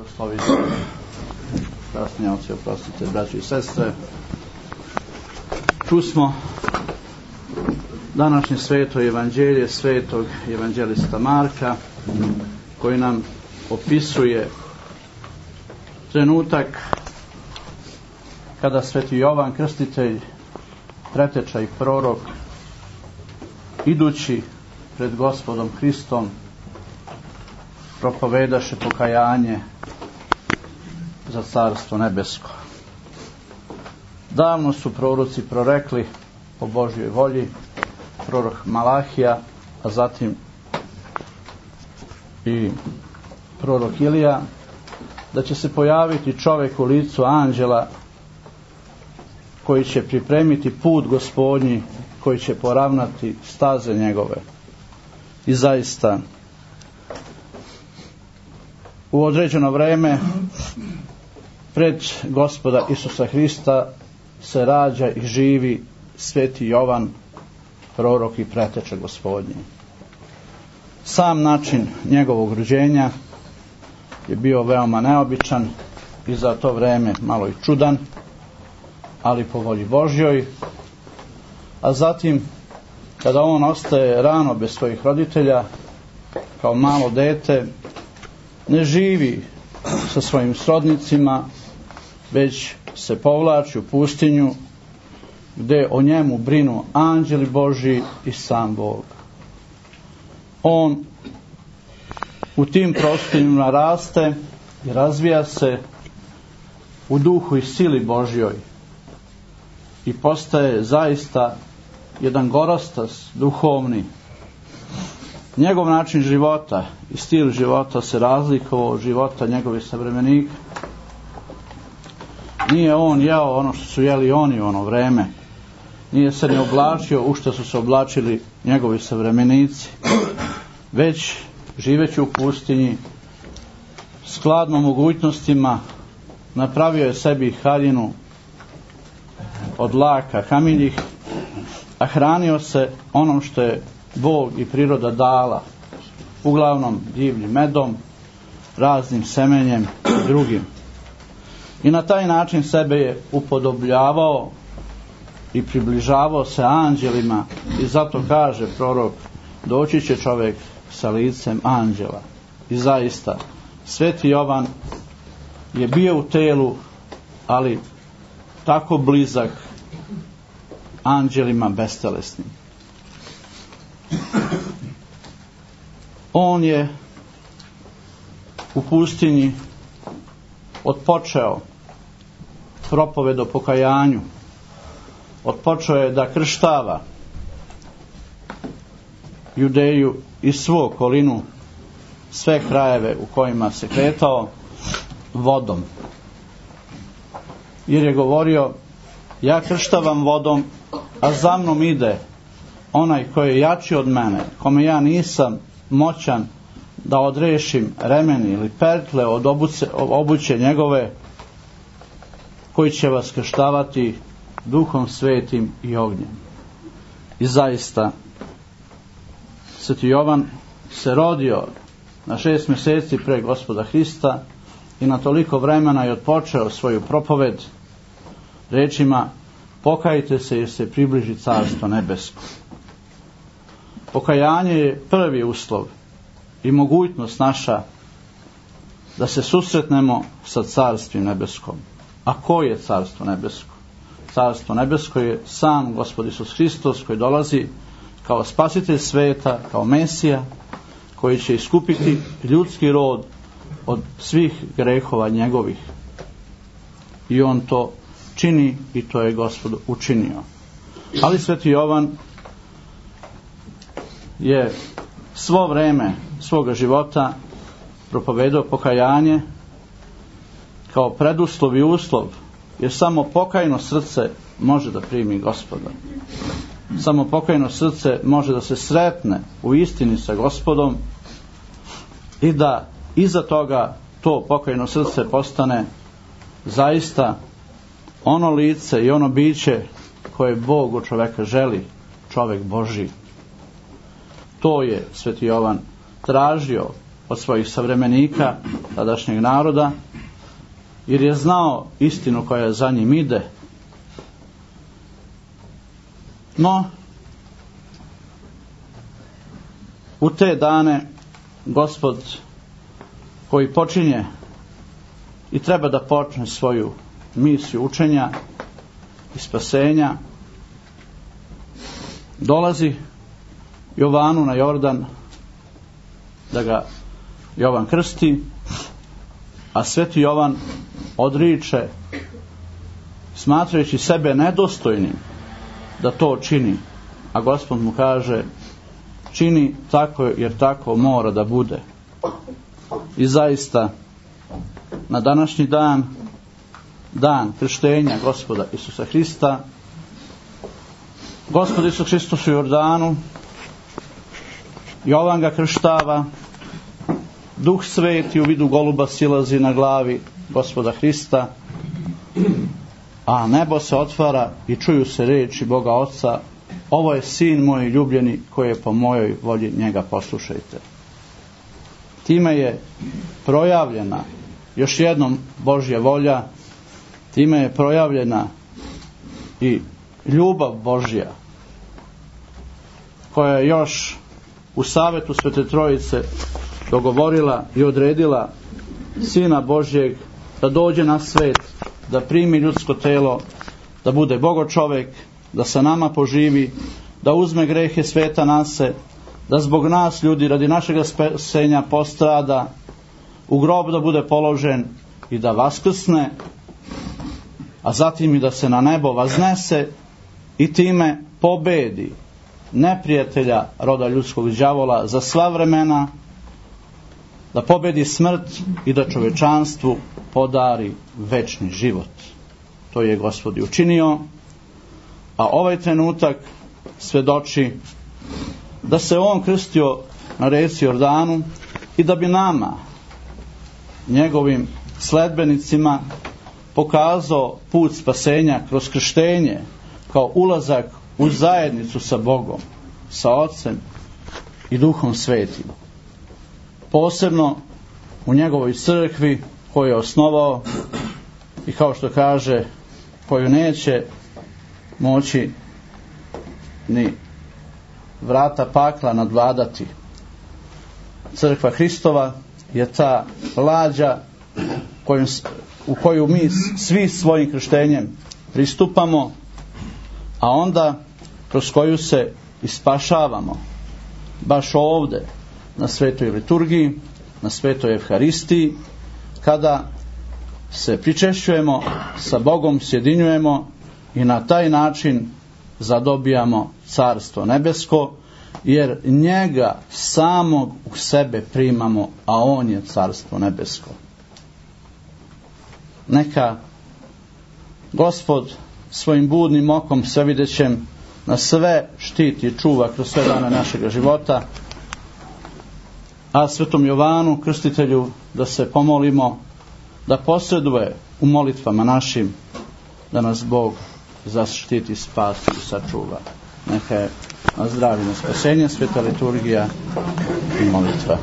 Blagoslovite, kasnijavci, oprostite, braći i sestre. Čusmo današnje sveto evanđelje svetog evanđelista Marka, koji nam opisuje trenutak kada sveti Jovan Krstitelj, preteča i prorok, idući pred Gospodom Hristom, propovedaše pokajanje za Carstvo nebesko. Davno su proroci prorekli po Božjoj volji, prorok Malahija, a zatim i prorok Ilija, da će se pojaviti čovjek u licu anđela koji će pripremiti put Gospodnji, koji će poravnati staze njegove. I zaista u određeno vreme pred Gospoda Isusa Hrista se rađa i živi sveti Jovan, prorok i preteča Gospodnji. Sam način njegovog rođenja je bio veoma neobičan i za to vreme malo i čudan, ali po volji Božjoj. A zatim, kada on ostaje rano bez svojih roditelja, kao malo dete, ne živi sa svojim srodnicima, već se povlači u pustinju, gdje o njemu brinu anđeli Božji i sam Bog. On u tim prostorima raste i razvija se u duhu i sili Božjoj i postaje zaista jedan gorostas duhovni. Njegov način života i stil života se razlikovao od života njegovih savremenika. Nije on jeo ono što su jeli oni u ono vreme. Nije se ne oblačio u što su se oblačili njegovi savremenici. Već živeći u pustinji, skladno mogućnostima, napravio je sebi haljinu od laka kamiljih, a hranio se onom što je Bog i priroda dala, uglavnom divljim medom, raznim semenjem i drugim. I na taj način sebe je upodobljavao i približavao se anđelima, i zato kaže prorok: doći će čovjek sa licem anđela. I zaista, sveti Jovan je bio u telu, ali tako blizak anđelima bestelesnim. On je u pustinji otpočeo propoved o pokajanju, otpočeo je da krštava Judeju i svu okolinu, sve krajeve u kojima se kretao, vodom. Jer je govorio: ja krštavam vodom, a za mnom ide onaj koji je jači od mene, kome ja nisam moćan da odrešim remeni ili pertle od obuće njegove, koji će vas krštavati Duhom Svetim i ognjem. I zaista, sveti Jovan se rodio na 6 mjeseci pre Gospoda Hrista i na toliko vremena je otpočeo svoju propoved rečima: pokajte se jer se približi Carstvo nebesko. Pokajanje je prvi uslov i mogućnost naša da se susretnemo sa Carstvim nebeskom. A ko je Carstvo nebesko? Carstvo nebesko je sam Gospod Isus Hristos, koji dolazi kao spasitelj sveta, kao Mesija, koji će iskupiti ljudski rod od svih grehova njegovih. I on to čini i to je Gospod učinio. Ali sveti Jovan je svo vrijeme svoga života propovedao pokajanje kao preduslov i uslov, jer samo pokajno srce može da primi Gospoda. Samo pokajno srce može da se sretne u istini sa Gospodom i da iza toga to pokajno srce postane zaista ono lice i ono biće koje Bog od čovjeka želi, čovjek Božji. To je sveti Jovan tražio od svojih savremenika, tadašnjeg naroda, jer je znao istinu koja za njim ide. No, u te dane Gospod koji počinje i treba da počne svoju misiju učenja i spasenja, dolazi Jovanu na Jordan da ga Jovan krsti, a sveti Jovan odriče, smatrajući sebe nedostojnim da to čini, a Gospod mu kaže: čini tako jer tako mora da bude. I zaista na današnji dan, dan krštenja Gospoda Isusa Hrista, Gospod Isus Hristos u Jordanu, Jovan ga krštava, Duh Sveti u vidu goluba silazi na glavi Gospoda Hrista, a nebo se otvara i čuju se riječi Boga Oca: ovo je sin moj ljubljeni koji je po mojoj volji, njega poslušajte. Time je projavljena još jednom Božja volja, time je projavljena i ljubav Božja koja je još u Savetu Svete Trojice dogovorila i odredila Sina Božjeg da dođe na svet, da primi ljudsko telo, da bude Bogočovek, da sa nama poživi, da uzme grehe sveta na se, da zbog nas ljudi radi našega spasenja postrada, u grob da bude položen i da vaskrsne, a zatim i da se na nebo vaznese i time pobedi neprijatelja roda ljudskog đavola za sva vremena, da pobedi smrt i da čovečanstvu podari večni život. To je Gospod i učinio, a ovaj trenutak svedoči da se on krstio na reci Jordanu i da bi nama, njegovim sledbenicima, pokazao put spasenja kroz krštenje kao ulazak u zajednicu sa Bogom, sa Ocem i Duhom Svetim. Posebno u njegovoj crkvi koju je osnovao i, kao što kaže, koju neće moći ni vrata pakla nadvladati. Crkva Hristova je ta lađa u koju mi svi svojim krštenjem pristupamo, a onda kroz koju se ispašavamo baš ovdje na svetoj liturgiji, na svetoj Evharistiji, kada se pričešćujemo sa Bogom, sjedinjujemo i na taj način zadobijamo Carstvo nebesko, jer njega samog u sebe primamo, a on je Carstvo nebesko. Neka Gospod svojim budnim okom svevidećem nas sve štiti i čuva kroz sve dane našega života, a svetom Jovanu Krstitelju da se pomolimo da posreduje u molitvama našim, da nas Bog zaštiti, spasi i sačuva. Neka je na zdravlje, na spasenje sveta liturgija i molitva.